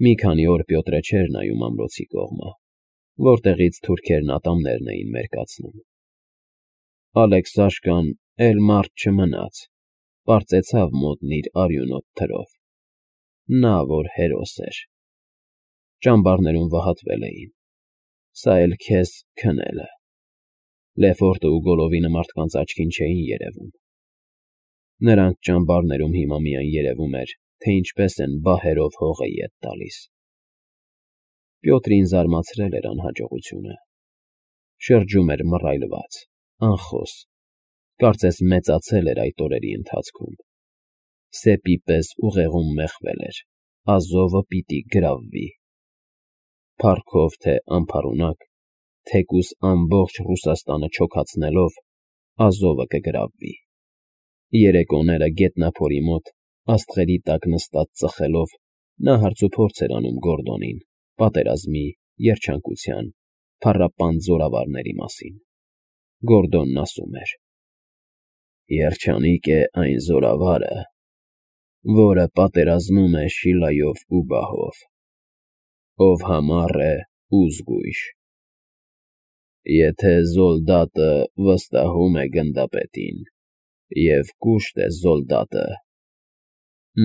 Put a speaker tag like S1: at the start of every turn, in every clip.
S1: Մի քանի օր Պյոտրը չէր նայում ամրոցի կողմը, որտեղից թուրքերն ատամներն էին մերկացնում։ Ալեքսաշկան էլ մարդ չմնաց, պարծեցավ մոտն իր արյունոտ թրով։ Նա, որ հերոս էր։ Ճամբարներում վհատվել էին։ Սա էլ քեզ քնելը։ Լեֆորտը ու Գոլովինը մարդկանց աչքին չէին երևում։ Նրանց ճամբարներում հիմա միայն երևում էր, թե ինչպես են բահերով հողը ետ տալիս։ Պյոտրին զարմացրել էր անհաջողությունը։ Շրջում էր մռայլված, անխոս, կարծես մեծացել էր այդ օրերի ընթացքում։ Սեպի պես ուղեղում մեխվել էր. Ազովը պիտի գրավվի։ Փառքով թե անփառունակ, թեկուզ ամբողջ Ռուսաստանը չոքացնելով, Ազովը կգրավվի։ Երեկոները գետնափորի մոտ, աստղերի տակ նստած ծխելով, նա հարցուփորձ էր անում Գորդոնին պատերազմի, երջանկության, փառապանծ զորավարների մասին։ Գորդոնն ասում էր. Երջանիկ է այն զորավարը, որը պատերազմում է Շիլայով ու բահով, ով համառ է ու զգույշ։ Եթե զոլդատը վստահում է գնդապետին և կուշտ է զոլդատը,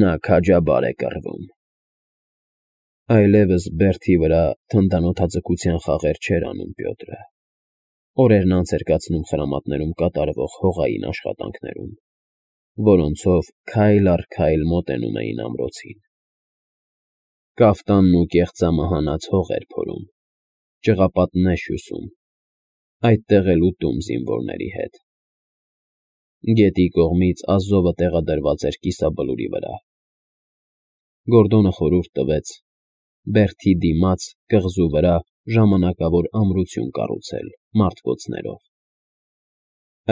S1: նա քաջաբար է կռվում։ Այլևս բերդի վրա թնդանոթաձգության խաղեր չէր անում Պյոտրը։ Օրերն անց էր կացնում խրամատներում կատարվող հողային աշխատանքներում, որոնցով քայլ առ քայլ մոտենում էին ամրոցին։ Կաֆտանն ու կեղծամը հանած հող էր փորում, ճղապատներ հյուսում, այդտեղ էլ ուտում զինվորների հետ։ Գետի կողմից Ազովը տեղադրված էր կիսաբլուրի վրա։ Գորդոնը խորհուրդ տվեց բերդի դիմաց, կղզու վրա ժամանակավոր ամրություն կառուցել մարտկոցներով։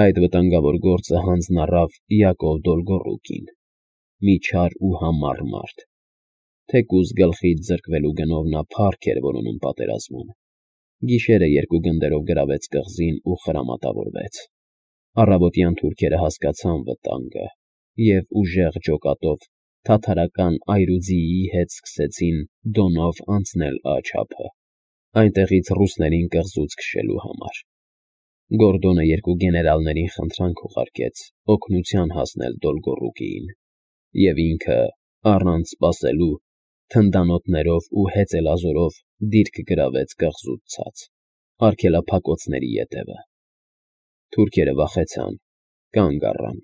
S1: Այդ վտանգավոր գործը հանձն առավ Յակով Դոլգոռուկին, մի չար ու համառ մարդ։ Թեկուզ գլխից զրկվելու գնով նա փառք էր որոնում պատերազմում։ Գիշերը երկու գնդերով գրավեց կղզին ու խրամատավորվեց։ Առավոտյան թուրքերը հասկացան վտանգը և ուժեղ ջոկատով թաթարական այրուձիի հետ սկսեցին Դոնով անցնել աջափը, այնտեղից ռուսներին կղզուց քշելու համար։ Գորդոնը երկու գեներալներին խնդրանք ուղարկեց օգնության հասնել Դոլգոռուկիին, և ինքը, առանց սպասելու, թնդանոթներով ու հեծելազորով դիրք գրավեց կղզուց ցած, արգելափակոցների ետևը։ Թուրքերը վախեցան, կանգ առան։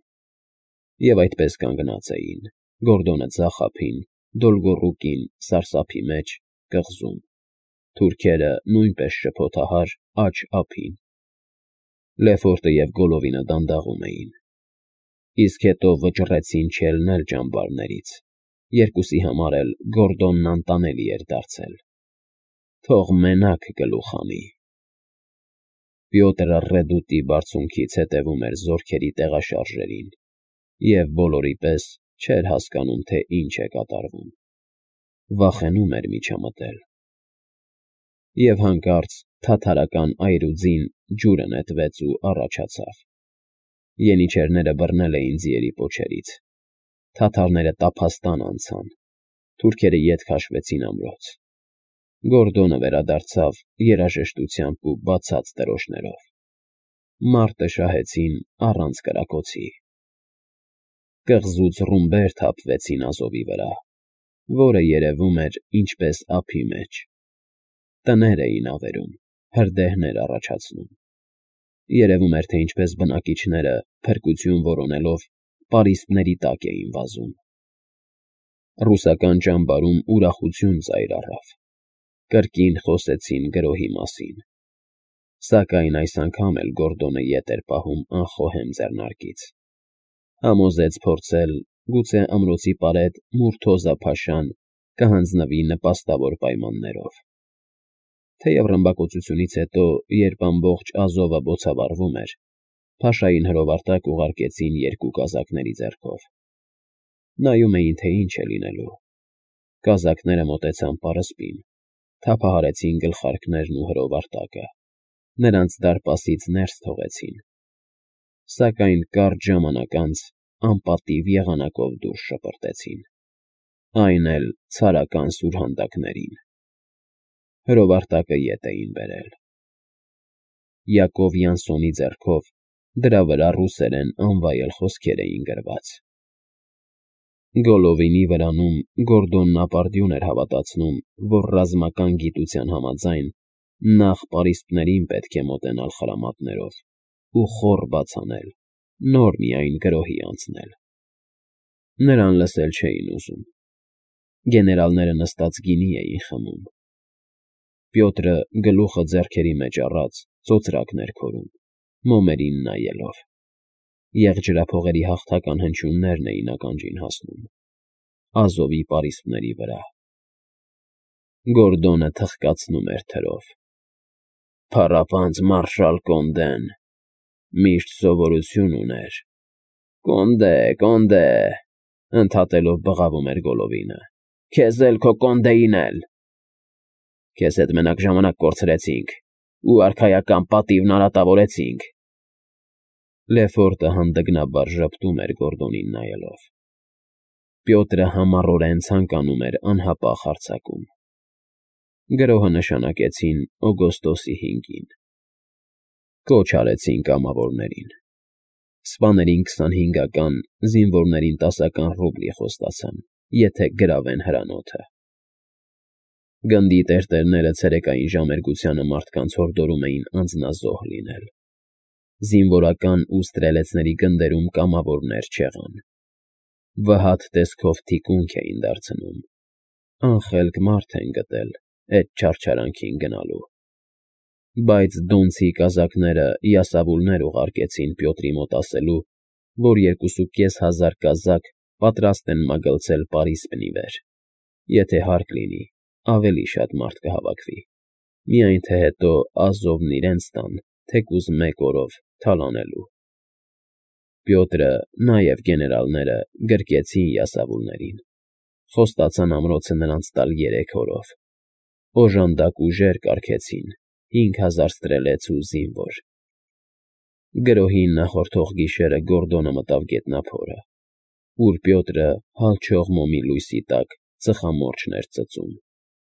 S1: Եվ այդպես կանգնած էին, Գորդոնը ձախ ափին, Դոլգոռուկին սարսափի մեջ, կղզում, թուրքերը նույնպես շփոթահար աջ ափին։ Լեֆորտը և Գոլովինը դանդաղում էին։ Իսկ հետո վճռեցին չելնել ճամբարներից, երկուսի համար էլ Գորդոնն անտանելի էր դարձել։ Թող մենակ գլուխ հանի։ Պյոտրը ռեդուտի բարձունքից հետևում էր զորքերի տեղաշարժերին և բոլորի պես չէր հասկանում, թե ինչ է կատարվում։ Վախենում էր միջամտել։ Եվ հանկարծ թաթարական այրուձին ջուրը նետվեց ու առաջացավ։ Ենիչերները բռնել էին ձիերի պոչերից։ Թաթարները տափաստան անցան։ Թուրքերը ետ քաշվեցին ամրոց։ Գորդոնը վերադարձավ երաժշտությամբ ու բացած դրոշներով։ Մարտը շահեցին առանց կրակոցի։ Կղզուց ռումբեր թափվեցին Ազովի վրա, որը երևում էր ինչպես ափի մեջ։ Տներ էին ավերում, հրդեհներ առաջացնում։ Երևում էր, թե ինչպես բնակիչները, փրկություն որոնելով, պարիսպների տակ էին վազում։ Ռուսական ճամբարում ուրախություն ծայր առավ։ Կրկին խոսեցին գրոհի մասին։ Սակայն այս անգամ էլ Գորդոնը ետ էր պահում անխոհեմ ձեռնարկից։ Համոզեց փորձել, գուցե ամրոցի պարետ Մուրթոզա֊փաշան կհանձնվի նպաստավոր պայմաններով։ Թեև ռմբակոծությունից հետո, երբ ամբողջ Ազովը բոցավառվում էր, փաշային հրովարտակ ուղարկեցին երկու կազակների ձեռքով։ Նայում էին, թե ինչ է լինելու։ Կազակները մոտեցան պարսպին, թափահարեցին գլխարկներն ու հրովարտակը, նրանց դարպասից ներս թողեցին։ Սակայն կարճ ժամանակ անց անպատիվ եղանակով դուրս շպրտեցին։ այն էլ ցարական սուրհանդակներին։ Հրովարտակը ետ էին բերել։ Յակով Յանսոնի ձեռքով դրա վրա ռուսերեն անվայել խոսքեր էին գրված։ Գոլովինի վրանում Գորդոնն ապարդյուն էր հավատացնում, որ ռազմական գիտության համաձայն նախ պարիսպներին պետք է մոտենալ խրամատներով ու խոռ բաց անել, նոր միայն գրոհի անցնել։ Նրան լսել չէին ուզում։ Գեներալները նստած գինի էին խմում։ Պյոտրը գլուխը ձեռքերի մեջ առած ծոծրակներ քորում, մոմերին նայելով։ Եղջերափողերի հաղթական հնչյուններն էին ականջին հասնում։ Ազովի պարիսպների վրա։ Գորդոնը թխկացնում էր թրով։ Փառապանծ մարշալ Կոնդեն միշտ սովորություն ուներ։ Կոնդե, Կոնդե, ընդհատելով բղավում էր Գոլովինը։ Քեզ էլ քո Կոնդեին էլ։ Քեզ հետ մենակ ժամանակ կորցրեցինք ու արքայական պատիվն արատավորեցինք։ Լեֆորտը հանդգնաբար ժպտում էր Գորդոնին նայելով։ Պյոտրը համառորեն ցանկանում էր անհապաղ հարձակում։ Գրոհը նշանակեցին օգոստոսի 5-ին։ Կոչ արեցին կամավորներին։ Սպաներին 25-ական, զինվորներին 10-ական ռուբլի խոստացան, եթե գրավեն հրանոթը։ Գնդի տերտերները ցերեկային ժամերգությանը մարդկանց հորդորում էին անձնազոհ լինել։ Զինվորական ու ստրելեցների գնդերում կամավորներ չեղան։ Վհատ տեսքով թիկունք էին դարձնում։ Անխելք մարդ են գտել էդ չարչարանքին գնալու։ Բայց դոնցի կազակները յասավուլներ ուղարկեցին Պյոտրի մոտ ասելու, որ 2500 կազակ պատրաստ են մագլցել պարիսպնի վեր, եթե հարկ լինի, ավելի շատ մարդ կհավաքվի, միայն թե հետո Ազովն իրենց տան, թեկուզ մեկ օրով թալանելու։ Պյոտրը, նաև գեներալները գրկեցին յասավուլներին, խոստացան ամրոցը նրանց տալ 3 օրով։ Օժանդակ ուժեր կարգեցին, 5000 ստրելեց ու զինվոր։ Գրոհին նախորդող գիշերը Գորդոնը մտավ գետնափորը, ուր Պյոտրը հալչող մոմի լույսի տակ ծխամորճն էր ծծում,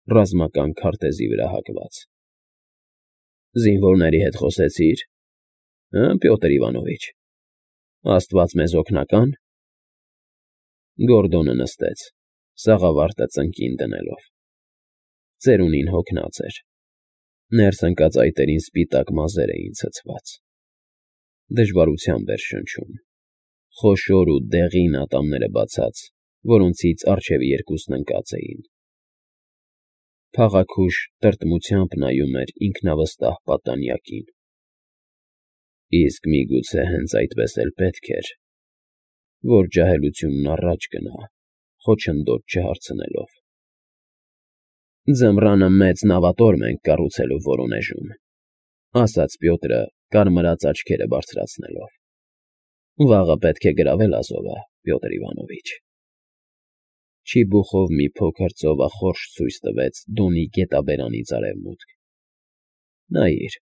S1: ռազմական քարտեզի վրա հակված։ Զինվորների հետ խոսեցի՞ր, Պյոտր Իվանովիչ, Աստված մեզ օգնական։ Գորդոնը նստեց, սաղավարտը ծնկին դնելով։ Ծերունին հոգնած էր։ Ներս ընկած այտերին սպիտակ մազեր էին ցցված։ Դժվարությամբ էր շնչում։ Խոշոր ու դեղին ատամները բացած, որոնցից առջևի երկուսն ընկած էին։ Փաղաքուշ տրտմությամբ նայում էր ինքնավստահ պատանյակին։ Իսկ միգուցե հենց այդպես էլ պետք էր, որ ջահելությունն առաջ գնա, խոչընդոտ չհարցնելով։ Ձմռանը մեծ նավատորմ ենք կառուցելու Վորոնեժում, ասաց Պյոտրը, կարմրած աչքերը բարձրացնելով։ Վաղը պետք է գրավել Ազովը, Պյոտր Իվանովիչ։ Չիբուխով մի փոքր ծովախորշ ցույց տվեց Դոնի գետաբերանից արևմուտք։ Նայիր,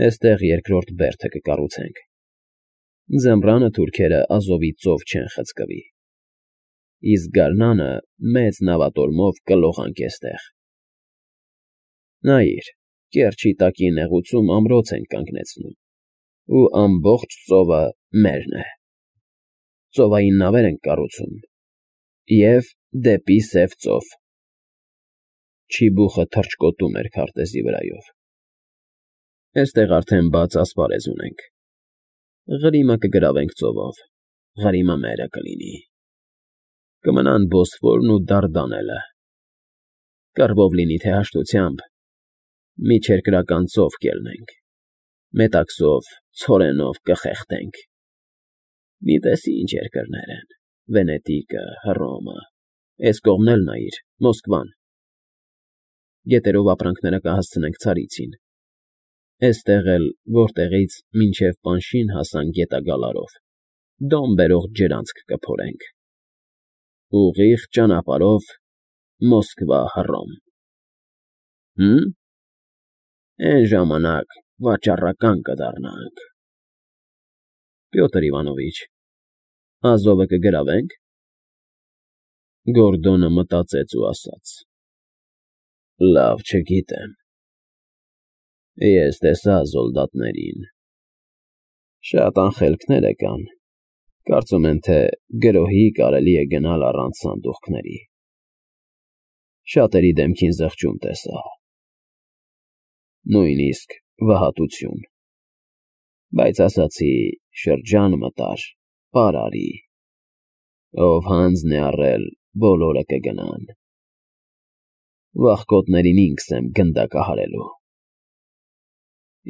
S1: էստեղ երկրորդ բերդը կկառուցենք։ Ձմռանը թուրքերը Ազովի ծով չեն խցկվի։ Իսկ գարնանը մեծ նավատորմով կլողանք էստեղ։ Նայիր, կեռչի տակի նեղուցում ամրոց ենք կանգնեցնում, ու ամբողջ ծովը մերն է։ Ծովային նավեր ենք կառուցում և դեպի Սև ծով։ Չիբուխը թռչկոտում էր քարտեզի վրայով։ Էստեղ արդեն բաց ասպարեզ ունենք։ Ղրիմը կգրավենք ծովով, Ղրիմը մերը կլինի։ Կմնան Բոսֆորն ու Դարդանելը։ Կռվով լինի թե հաշտությամբ, միջերկրական ծով կելնենք, մետաքսով, ցորենով կխեղդենք։ Մի տեսի ինչ երկրներ են. Վենետիկը, Հռոմը, էս կողմն էլ նայիր, Մոսկվան։ Գետերով ապրանքները կհասցնենք Ցարիցին։ Էստեղ էլ, որտեղից մինչև Պանշին հասան գետագալարով, դոմ բերող ջրանցք կփորենք։ Ուղիղ ճանապարհով Մոսկվա, Հռոմ։ Էն ժամանակ վաճառական կդառնանք։ Պյոտր Իվանովիչ, Ազովը կգրավենք։ Գորդոնը մտածեց ու ասաց. Լավ, չգիտեմ։ Ես տեսա զոլդատներին։ Շատ անխելքներ կան։ Կարծում են, թե գրոհի կարելի է գնալ առանց սանդուղքների։ Շատերի դեմքին զղջում տեսա։ Նույնիսկ վհատություն։ Բայց ասացի, շրջան մտար, պարարի։ Ով հանձն է առել, բոլորը կգնան։ Վախկոտներին ինքս եմ գնդակահարելու։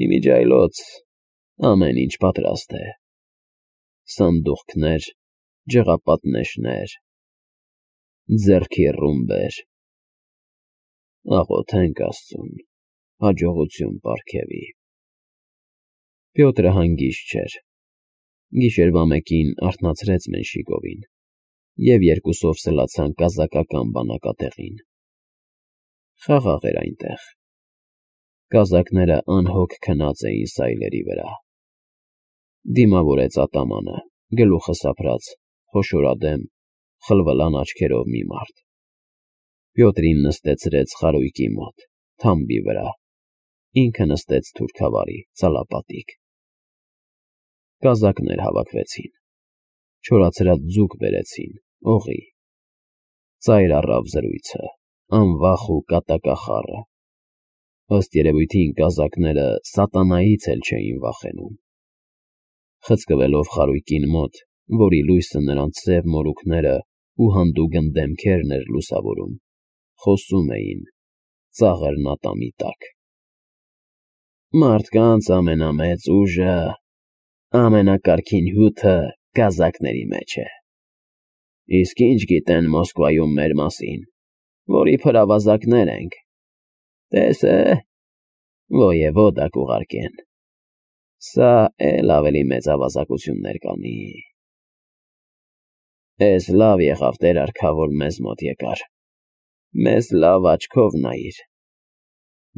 S1: Իմիջիայլոց ամեն ինչ պատրաստ է։ Սանդուղքներ, ջղապատնեշներ, ձեռքի ռումբեր։ Աղոթենք Աստծուն, հաջողություն պարգևի։ Պյոտրը հանգիստ չէր։ Գիշերվա մեկին արթնացրեց Մենշիկովին, և երկուսով սլացան կազակական բանակատեղին։ Խաղաղ էր այնտեղ։ Կազակները անհոգ քնած էին սայլերի վրա։ Դիմավորեց ատամանը, գլուխը սափրած, խոշորադեմ, խլվլան աչքերով մի մարդ։ Պյոտրին նստեցրեց խարույկի մոտ, թամբի վրա, ինքը նստեց թուրքավարի, ծալապատիկ։ Կազակներ հավաքվեցին, չորացրած ձուկ բերեցին, օղի։ Ծայր առավ զրույցը, անվախ ու կատակախառը։ Ըստ երևույթին կազակները սատանայից էլ չէին վախենում։ Խցկվելով խարույկին մոտ, որի լույսը նրանց սև մորուքները ու հանդուգն դեմքերն էր լուսավորում, խոսում էին, ծաղր նատամի տակ։ Մարդկանց ամենամեծ ուժը, ամենակարգին հյութը կազակների մեջ է։ Իսկ ինչ գիտեն Մոսկվայում մեր մասին, որի փրավազակներ ենք։ Տես է, ոևոդա կուղարկեն։ Սա էլ ավելի մեծ ավազակություններ կանի։ Էս լավ եղավ Տեր արքա, որ մեզ մոտ եկար։ Մեզ լավ աչքով նայիր։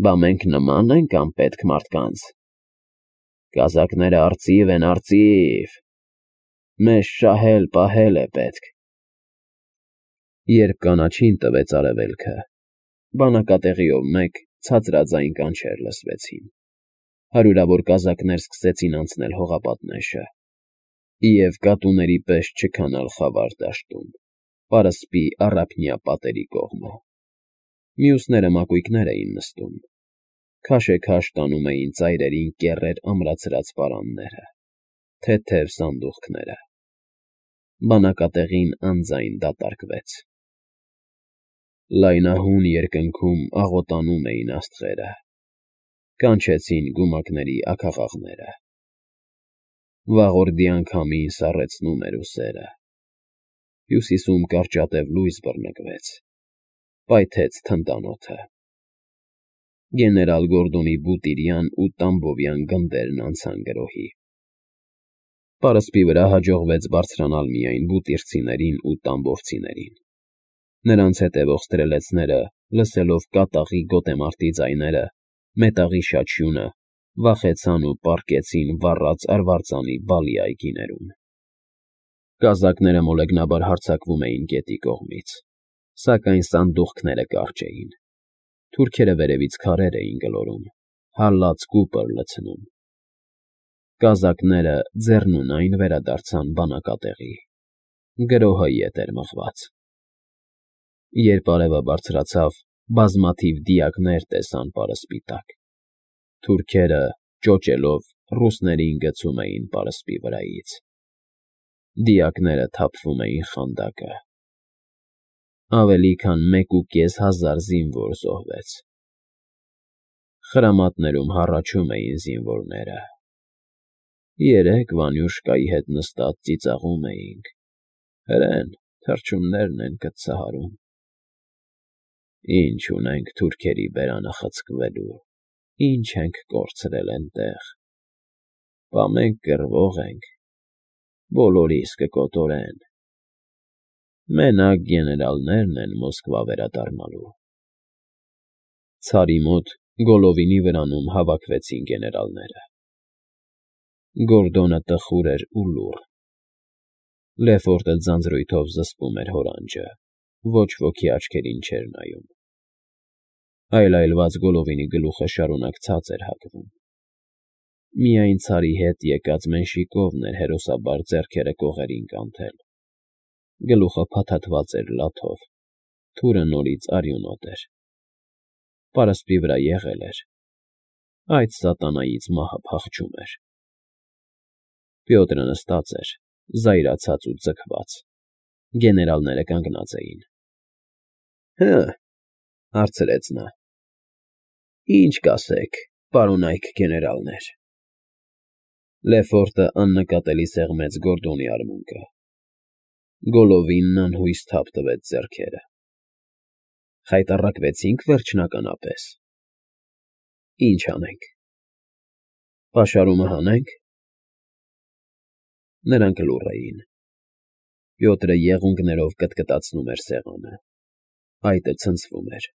S1: Բա մենք նման ենք անպետք մարդկանց։ Կազակները արծիվ են, արծիվ։ Մեզ շահել֊պահել է պետք։ Երբ կանաչին տվեց արևելքը, բանակատեղիով մեկ ցածրաձայն կանչեր լսվեցին։ Հարյուրավոր կազակներ սկսեցին անցնել հողապատնեշը և կատուների պես չքանալ խավար դաշտում, պարսպի առափնյա պատերի կողմը։ Մյուսները մակույկներ էին նստում, քաշեքաշ տանում էին ծայրերին կեռեր ամրացրած պարանները, թեթև սանդուղքները։ Բանակատեղին անձայն դատարկվեց։ Լայնահուն երկնքում աղոտանում էին աստղերը, կանչեցին գումակների աքաղաղները։ Վաղորդի անգամին սառեցնում էր ուսերը։ Հյուսիսում կարճատև լույս բռնկվեց, պայթեց թնդանոթը։ Գեներալ Գորդոնի Բուտիրյան ու Տամբովյան գնդերն անցան գրոհի։ Պարսպի վրա հաջողվեց բարձրանալ միայն բուտիռցիներին ու տամբովցիներին։ Նրանց հետևող ստրելեցները, լսելով կատաղի գոտեմարտի ձայները, մետաղի շաչյունը, վախեցան ու պառկեցին վառած արվարձանի բալի այգիներում։ Կազակները մոլեգնաբար հարձակվում էին գետի կողմից, սակայն սանդուղքները կարճ էին։ Թուրքերը վերևից քարեր էին գլորում, հալած կուպր լցնում։ Կազակները ձեռնունայն վերադարձան բանակատեղի։ Գրոհը ետ էր մղված։ Երբ արևը բարձրացավ, բազմաթիվ դիակներ տեսան պարսպի տակ։ Թուրքերը, ճոճելով, ռուսներին գցում էին պարսպի վրայից։ Դիակները թափվում էին խանդակը։ Ավելի քան 1,500 զինվոր զոհվեց։ Խրամատներում հառաչում էին զինվորները։ Երեկ Վանյուշկայի հետ նստած ծիծաղում էինք։ Հրեն, թռչուններն են կծահարում։ Ինչ ունենք թուրքերի բերանը խցկվելու, ինչ ենք կորցրել էնտեղ։ Բա մենք կռվող ենք, բոլորիս կկոտորեն։ Մենակ գեներալներն են Մոսկվա վերադառնալու։ Ցարի մոտ Գոլովինի վրանում հավաքվեցին գեներալները։ Գորդոնը տխուր էր ու լուռ։ Լեֆորտը ձանձրույթով զսպում էր հորանջը։ Ոչ ոքի աչքերին չէր նայում։ Այլայլված Գոլլովինի գլուխը շարունակ ցած էր հագվում։ Միայն ցարի հետ եկած Մենշիկովն էր հերոսաբար ձեռքերը կողերին կանթել։ Գլուխը փաթաթված էր լաթով, թուրը նորից արյունոտ էր։ Պարսպի վրա եղել էր։ Այդ սատանայից մահը փախչում էր։ Պյոտրը նստած էր, զայրացած ու ձգված։ Գեներալները կանգնած էին։ ֊ Հարցրեց նա։ ֊ Ինչ կասեք, պարոնայք գեներալներ։ Լեֆորտը աննկատելի սեղմեց Գորդոնի արմունկը։ Գոլլովինն անհույս թափ տվեց ձեռքերը։ Խայտառակվեցինք վերջնականապես։ Ինչ անենք։ Պաշարումը հանե՞նք։ Նրանք լուռ էին։ Պյոտրը եղունգներով կտկտացնում էր սեղանը։ Այտը ցնցվում էր։